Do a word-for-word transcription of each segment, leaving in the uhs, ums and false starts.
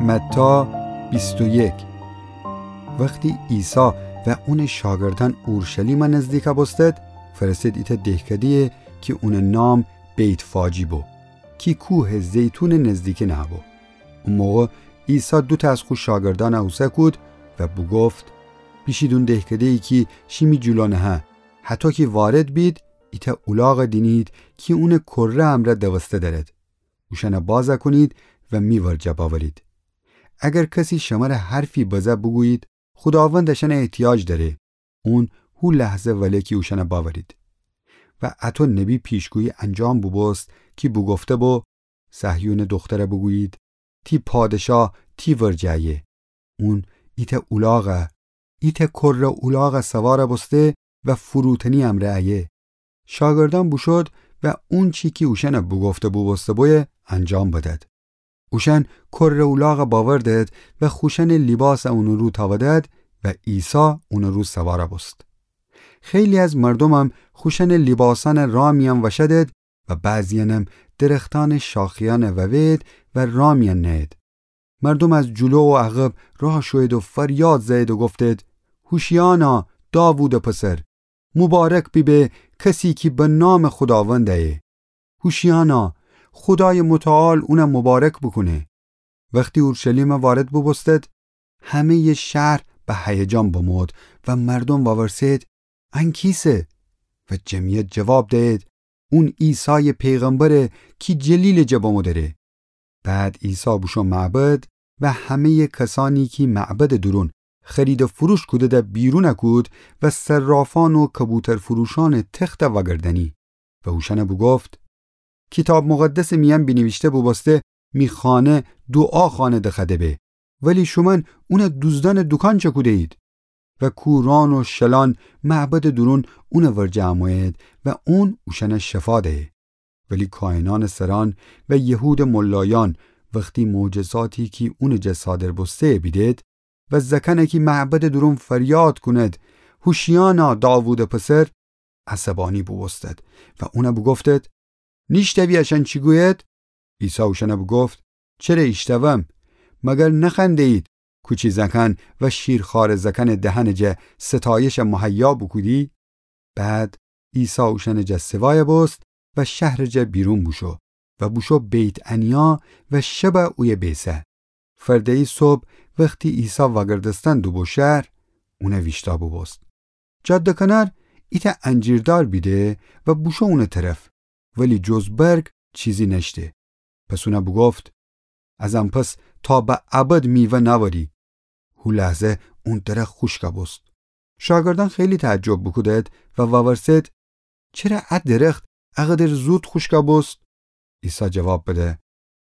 متی بیست و یک. وختی عیسی و اونٚ شاگردأن اورشلیمَ نزدیکَ بوستد، فرسه‌د ایتأ دهکده‌یی کی اونٚ نام بیت‌فاجی بو، کی کوهٚ زیتونٚ نزدیکی نهه‌بو. او موقع عیسی دوتأ از خو شاگردأنَ اوسه کود و بوگفت: بیشید اون دهکده‌یی کی شیمی جلو نهه، هطو کی وارد بید، ایتأ اولاغَ دینید کی اونٚ کره امرأ دوسته دأرد. اوشأنَ بازَ کونید و می ورجه بأورید. اگر کسی شمره حرفی بزه، بوگویید: خوداوند اشأنَ احتیاج دأره. اون هو لحظه وله کی اوشأنَ بأورید. و اطو نبی پیشگویی انجام بوبوست کی بوگفته‌بو: صهیونٚ دخترَ بوگویید: تی پادشاه تی ورجه ایه. اون ایتأ اولاغَ، ایتأ کره اولاغَ سوارَ بوسته و فروتنی امرأ ایه. شاگردأن بوشود و اونچی کی اوشأنَ بوگفته بوبوسته بویه انجام بدد. اوشأن کره اولاغَ بأوردد و خوشأنٚ لیباسَ اونٚ رو تأودد و عیسی اونٚ رو سوارَ بوست. خیلی از مردومم خوشأنٚ لیباسأنَ رأ میأن وشأدد و بعضی‌یأنم درختأنٚ شاخه‌یأنَ ووید و رأ میأن نأید. مردوم از جلو و عقب رأ شوید و فریاد زأید و گفتید: هوشیأنا، داوودٚ پسر، مبارک بیبه کسی کی به نامٚ خوداوند ایه. هوشیأنا، خودایٚ متعال اونَ مبارک بوکونه. وختی اورشلیمَ وارد بوبوستد، همه‌یٚ شهر به هیجان بمود و مردوم وورسید: ان کیسه؟ و جمعیت جواب دأید: اون عیسایٚ پیغمبره کی جلیلٚ جه بمو دره. بعد عیسی بوشو معبد و همه‌یٚ کسأنی کی معبدٚ دورون خرید و فروش کودیدی بیرونَ کود و صرافأن و کبوترفروشأنٚ تختَ وأگردأنی و اوشأنَ بوگفت: کیتاب مقدسٚ میأن بینیویشته بوبوسته: می خانه دوعاخانه دخوأده به، ولی شومأن اونَ دوزدأنٚ دوکان چکوده‌یید. و کورأن و شلأن معبدٚ دورون اونٚ ورجه امویید و اون اوشأنَ شفا دأیه. ولی کاهنأنٚ سرأن و یهودٚ ملایأن وختی معجزاتی کی اونٚ جا صادر بوسته‌یَ بیدید و زأکأنَ کی معبدٚ دورون فریاد کونید: هوشیأنا، داوودٚ پسر، عصبأنی بوبوستد و اونَ بوگفتید: نیشتأوی اشأن چی گویید؟ عیسی اوشأنَ بوگفت: چره ایشتأوم؟ مگر نخوأنده‌یید: کوچی زأکأن و شیرخواره زأکأنٚ دهنٚ جا ستایشَ مهیا بوکودی؟ بعد عیسی اوشأنٚ جا سوایَ بوست و شهرٚ جا بیرون بوشو و بوشو بیت‌عنیا و شبَ اویه بیسه. فرده‌یی صبح وختی عیسی وأگردستن دوبو شهر، اونَ ویشتأ بوبوست. جاده‌کنار ایتأ انجیر دار بیده و بوشو اونٚ طرف، ولی جز برگ چیزی نأشته. پس اونَ بوگفت: از ان پس تا به ابد میوه نأوری. هو لحظه اون درخت خوشکَ بوست. شاگردأن خیلی تعجب بوکودید و وورسید: چره ا درخت اقدر زود خوشکَ بوست؟ عیسی جواب بده: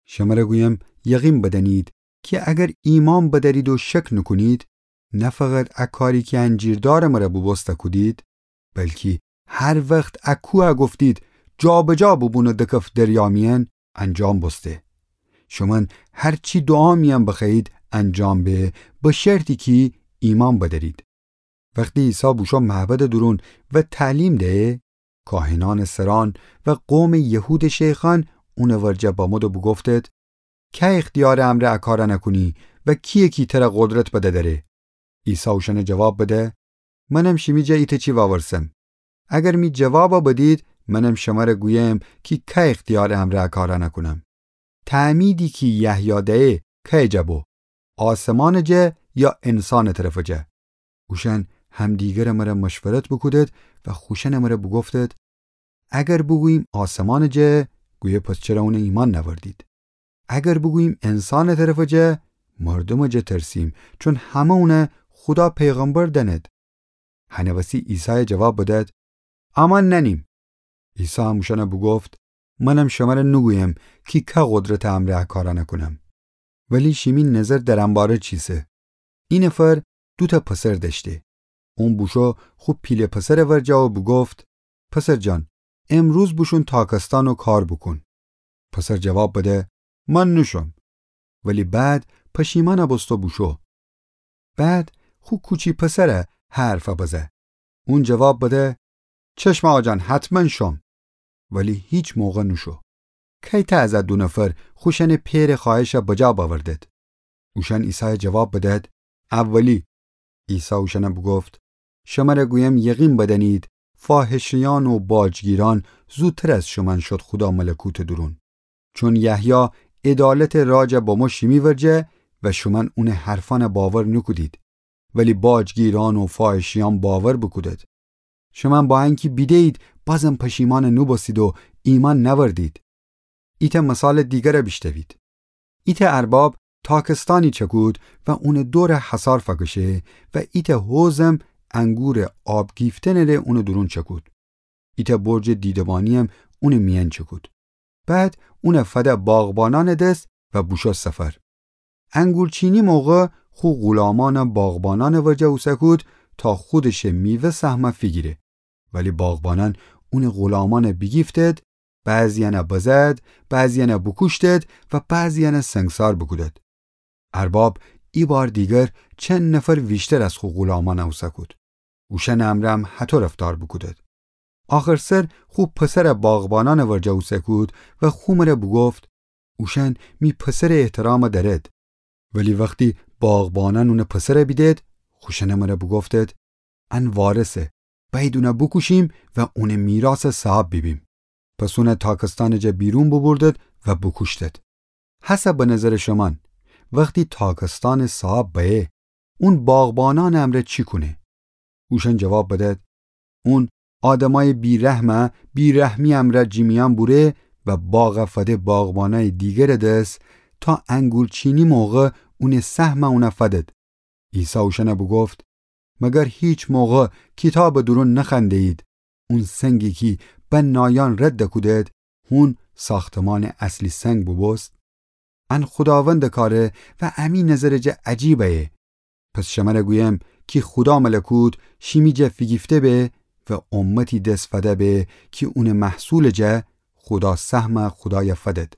شمره گویم، یقین بدأنید کی اگر ایمأن بدأرید و شک نوکونید، نه فقط ا کاری کی انجیر دارٚ مره بوبوسته کودید، بلکی هر وخت ا کوهَ گفتید: جابجا بوبون و دکف دریا میأن، انجام بوسته. شومأن هر چی دوعا میأن بخوأیید انجام به، به شرطی کی ایمأن بدأرید. وختی عیسی بوشو معبدٚ دورون و تعلیم دأیه، کاهنأنٚ سرأن و قومٚ یهودٚ شیخأن اونٚ ورجه بمود و بوگفتید: کی اختیارٚ امرأ ا کارأنَ کونی و کییه کی تره قدرت بده دره؟ عیسی اوشأنَ جواب بده: منم شیمی جا ایتأ چی وأورسم. اگر می جوابَ بدید، منم شمره گویم کی کی اختیارٚ امرأ ا کارأنَ کونم. تعمیدی کی یحیی دأیه کیٚ جا بو؟ آسمانٚ جا یا انسانٚ طرفٚ جا؟ اوشأن همدیگرٚ مره مشورت بوکودید و خوشأنٚ مره بوگفتید: اگر بوگوییم آسمانٚ جا، گویه پس چره اونَ ایمأن نأوردید؟ اگر بوگوییم انسانٚ طرفٚ جا، مردومٚ جا ترسیم، چون همه اونَ خودا پیغمبر دأنید. هنٚ وسی عیسایَ جواب بدید: امان نأنیم. عیسی هم اوشأنَ بوگفت: منم شمره نوگویم کی کی قدرتٚ امرأ ا کارأنَ کونم. ولی شیمی نظر در انباره چیسه. ای نفر دوتأ پسر دأشته. اون بوشو خو پیله پسرٚ ورجه و بوگفت: پسر جان، امروز بوشون تاکستان و کار بوکون. پسر جواب بده: من نوشوم. ولی بعد پشیمأنَ بوست و بوشو. بعد خو کوچی پسرَ هه حرفَ بزه. اون جواب بده: چشم آقا جان، حتما شوم. ولی هیچ موقع نوشو. کیتأ از ا دو نفر خوشأنٚ پئرٚ خوأهشَ بجا بأوردید؟ اوشأن عیسایَ جواب بدأد: اولی. عیسی اوشأنَ بوگفت: شمرَ گویم، یقین بدأنید، فاحشه‌یأن و باجگیرأن زوتر از شومأن شد خودا ملکوتٚ دورون. چون یحیی عدالتٚ راجَ بمو شیمی ورجه و شومأن اونٚ حرفأنَ باور نوکودید، ولی باجگیرأن و فاحشه‌یأن باور بوکودید. شومأن با انکی بیده‌یید، بازم پشیمأن نوبوستید و ایمأن نأوردید. ایتأ مثالٚ دیگرَ بیشنوید. ایتأ ارباب تاکستأنی چکود و اونٚ دورَ حصار فأکشه و ایتأ حوضم انگورٚ آب گیفتنٚ ره اونٚ دورون چکود. ایتأ برجٚ دیده‌بانی‌یم اونٚ میأن چکود. بعد اونَ فده باغبانأنٚ دس و بوشو سفر. انگورچینی موقع خو غلامأنَ باغبانأنٚ ورجه اوسه کود تا خودشٚ میوه سهمَ فیگیره. ولی باغبانأن اونٚ غلامأنَ بیگیفتید، بعضی‌یأنَ بزد، بعضی‌یأنَ بوکوشتید و بعضی‌یأنَ سنگسار بوکودید. ارباب ایبار دیگر چند نفر ویشتر از خو غلامأنَ اوسه کود. اوشأنٚ امرأم هطو رفتار بوکودید. آخرسر خو پسرَ باغبانأنٚ ورجه اوسه کود و خو مره بوگفت: اوشأن می پسرٚ احترامَ دأرید. ولی وختی باغبانأن اونٚ پسرَ بیدید، خوشأنٚ مره بوگفتید: ان وارثه، بأیید اونَ بوکوشیم و اونٚ میراثٚ صاحب بیبیم. پس اونَ تاکستأنٚ جا بیرون بوبوردید و بوکوشتید. هسه به نظرٚ شومأن، وختی تاکستأنٚ صاحب بأیه، اون باغبانأنٚ امرأ چی کونه؟ اوشأن جواب بدید: اون آدمأیٚ بی‌رحمَ بی‌رحمی امرأ جیمیأن بوره و باغَ فده باغبانأیٚ دیگرٚ دس تا انگورچینی موقع اونٚ سهمَ اونَ فدید. عیسی اوشأنَ بوگفت: مگر هیچ موقع کیتابٚ دورون نخوأنده‌یید: اون سنگی کی بنایأن رد کودید، هون ساختمانٚ اصلی سنگ بوبوست؟ ان خوداوندٚ کاره و امی نظرٚ جا عجیب ایه. پس شمره گویم کی خودا ملکوت شیمی جا فیگیفته به و امتی دس فده به کی اونٚ محصولٚ جا خودا سهمَ خودایَ فدید.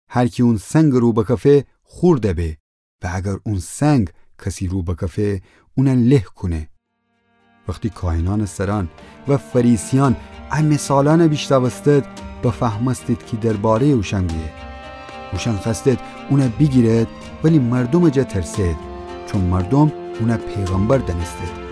هر کی اون سنگٚ رو بکفه، خورد به، و اگر اون سنگ کسی رو بکفه، اونَ له کونه. وختی کاهنأنٚ سرأن و فریسیأن ا مثالأنَ بیشنوستید، بفهمستید کی درباره‌یٚ اوشأن گویه. اوشأن خوأستید اونَ بیگیرید، ولی مردومٚ جا ترسید، چون مردوم اونَ پیغمبر دأنستید.